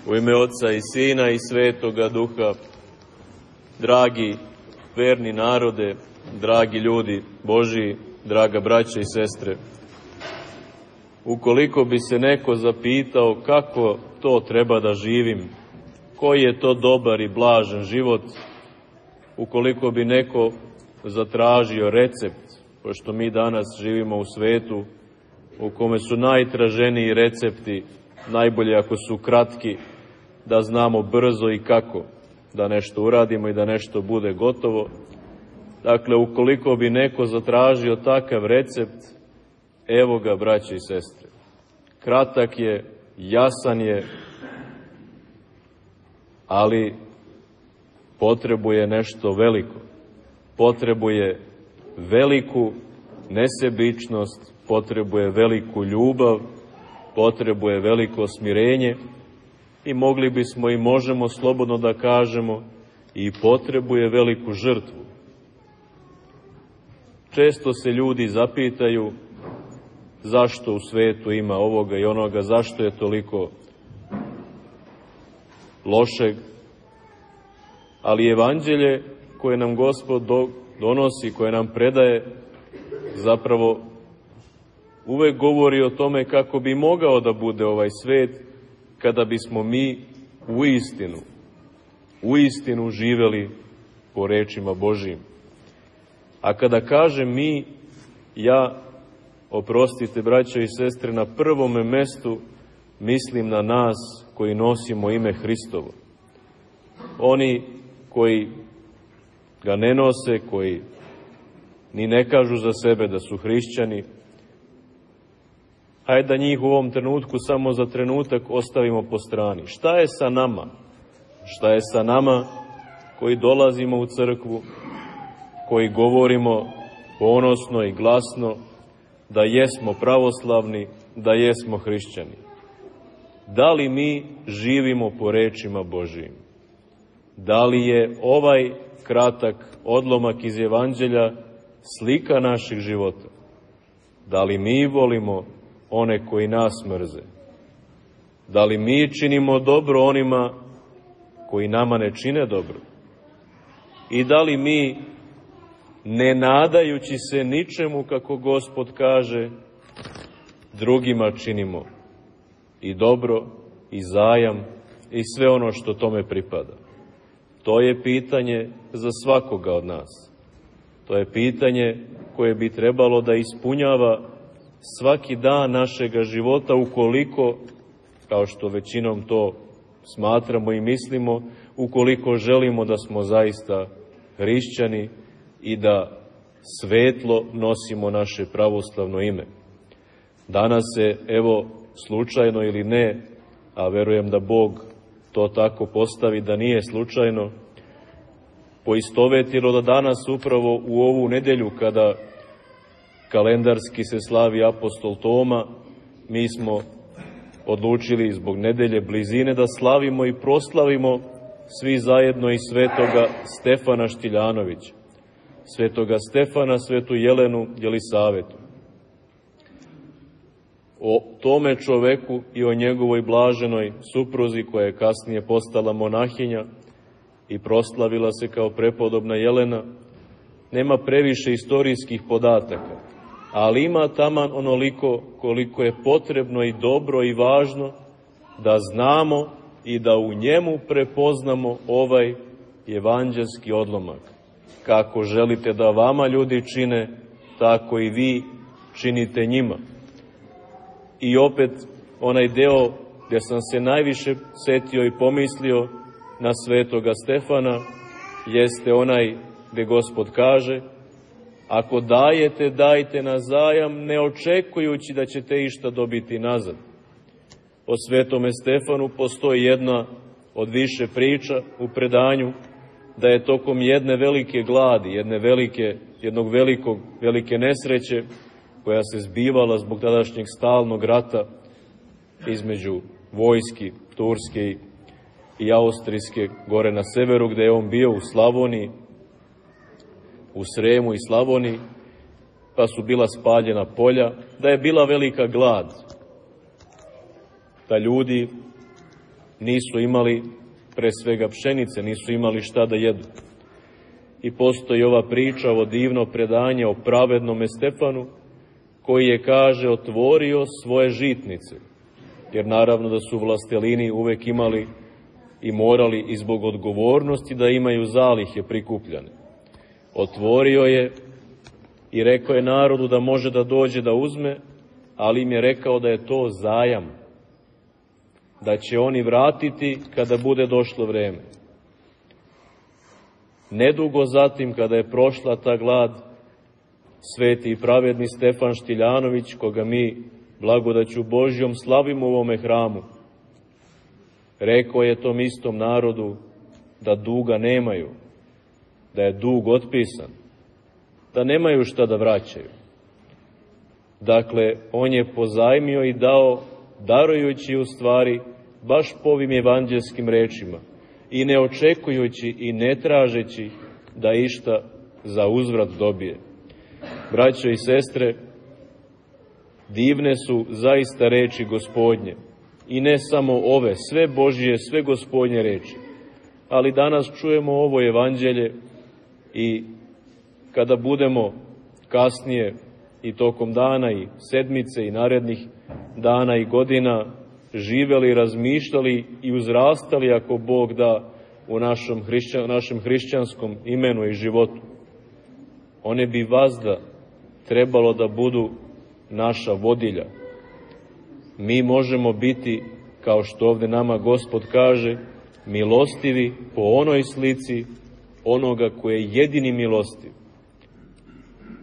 U ime Otca i Sina i Svetoga Duha, dragi verni narode, dragi ljudi Božiji, draga braća i sestre, ukoliko bi se neko zapitao kako to treba da živim, koji je to dobar i blažen život, ukoliko bi neko zatražio recept, pošto mi danas živimo u svetu u kome su najtraženiji recepti, najbolje ako su kratki, da znamo brzo i kako da nešto uradimo i da nešto bude gotovo. Dakle, ukoliko bi neko zatražio takav recept, evo ga, braće i sestre. Kratak je, jasan je, ali potrebuje nešto veliko. Potrebuje veliku nesebičnost, potrebuje veliku ljubav, potrebuje veliko smirenje i mogli bismo i možemo slobodno da kažemo i potrebuje veliku žrtvu. Često se ljudi zapitaju zašto u svetu ima ovoga i onoga, zašto je toliko lošeg, ali evanđelje koje nam Gospod donosi, koje nam predaje, zapravo uvek govori o tome kako bi mogao da bude ovaj svet kada bismo mi u istinu živeli po rečima Božijim. A kada kažem mi, ja, oprostite braćo i sestre, na prvome mestu mislim na nas koji nosimo ime Hristovo. Oni koji ga ne nose, koji ni ne kažu za sebe da su hrišćani, hajde da njih u ovom trenutku samo za trenutak ostavimo po strani. Šta je sa nama? Šta je sa nama koji dolazimo u crkvu, koji govorimo ponosno i glasno da jesmo pravoslavni, da jesmo hrišćani? Da li mi živimo po rečima Božijim? Da li je ovaj kratak odlomak iz Evanđelja slika naših života? Da li mi volimo one koji nas mrze? Da li mi činimo dobro onima koji nama ne čine dobro? I da li mi, ne nadajući se ničemu, kako Gospod kaže, drugima činimo i dobro, i zajam, i sve ono što tome pripada? To je pitanje za svakoga od nas. To je pitanje koje bi trebalo da ispunjava svaki dan našega života, ukoliko, kao što većinom to smatramo i mislimo, ukoliko želimo da smo zaista hrišćani i da svetlo nosimo naše pravoslavno ime. Danas se, evo, slučajno ili ne, a verujem da Bog to tako postavi da nije slučajno, poistovetilo da danas upravo u ovu nedelju kada kalendarski se slavi apostol Toma, mi smo odlučili zbog nedelje blizine da slavimo i proslavimo svi zajedno i svetoga Stefana Štiljanovića, svetoga Stefana, svetu Jelenu Jelisavetu. O tome čoveku i o njegovoj blaženoj supruzi, koja je kasnije postala monahinja i proslavila se kao prepodobna Jelena, nema previše istorijskih podataka, ali ima taman onoliko koliko je potrebno i dobro i važno da znamo i da u njemu prepoznamo ovaj evanđelski odlomak. Kako želite da vama ljudi čine, tako i vi činite njima. I opet onaj deo gdje sam se najviše setio i pomislio na svetoga Stefana jeste onaj gdje Gospod kaže: ako dajete, dajte na zajam, ne očekujući da ćete išta dobiti nazad. O svetome Stefanu postoji jedna od više priča u predanju, da je tokom jedne velike gladi, velike nesreće koja se zbivala zbog tadašnjeg stalnog rata između vojski turske i austrijske gore na severu, gde je on bio u Slavoniji, u Sremu i Slavoniji, pa su bila spaljena polja, da je bila velika glad, da ljudi nisu imali pre svega pšenice, nisu imali šta da jedu. I postoji ova priča, ovo divno predanje o pravednome Stefanu, koji je, kaže, otvorio svoje žitnice, jer naravno da su vlastelini uvek imali i morali i zbog odgovornosti da imaju zalihe prikupljane. Otvorio je i rekao je narodu da može da dođe da uzme, ali im je rekao da je to zajam, da će oni vratiti kada bude došlo vreme. Nedugo zatim, kada je prošla ta glad, sveti i pravedni Stefan Štiljanović, koga mi blagodaću Božjom slavimo u ovome hramu, rekao je tom istom narodu da duga nemaju, da je dug otpisan, da nemaju šta da vraćaju. Dakle, on je pozajmio i dao, darujući u stvari baš po ovim evanđelskim rečima i ne očekujući i ne tražeći da išta za uzvrat dobije. Braćo i sestre, divne su zaista reči Gospodnje i ne samo ove, sve Božje, sve Gospodnje reči. Ali danas čujemo ovo evanđelje i kada budemo kasnije i tokom dana i sedmice i narednih dana i godina živeli, razmišljali i uzrastali, ako Bog da, u našem hrišćanskom imenu i životu, one bi vazda trebalo da budu naša vodilja. Mi možemo biti, kao što ovde nama Gospod kaže, milostivi po onoj slici onoga koji je jedini milostiv.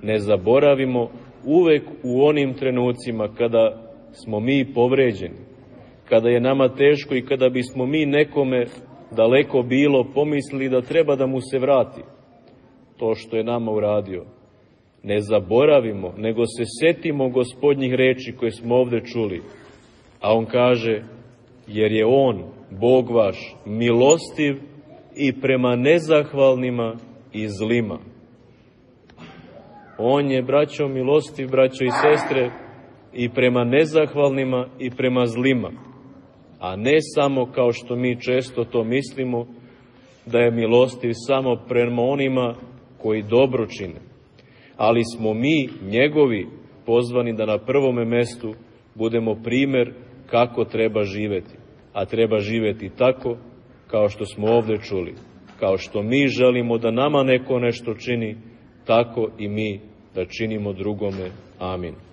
Ne zaboravimo uvek u onim trenucima kada smo mi povređeni, kada je nama teško i kada bismo mi nekome daleko bilo pomislili da treba da mu se vrati to što je nama uradio. Ne zaboravimo, nego se setimo Gospodnjih reči koje smo ovde čuli. A on kaže, jer je on, Bog vaš, milostiv i prema nezahvalnima i zlima. On je, braćo, milostiv, braćo i sestre, i prema nezahvalnima i prema zlima. A ne samo, kao što mi često to mislimo, da je milostiv samo prema onima koji dobro čine. Ali smo mi, njegovi, pozvani da na prvome mestu budemo primer kako treba živeti. A treba živeti tako, kao što smo ovde čuli. Kao što mi želimo da nama neko nešto čini, tako i mi da činimo drugome. Amin.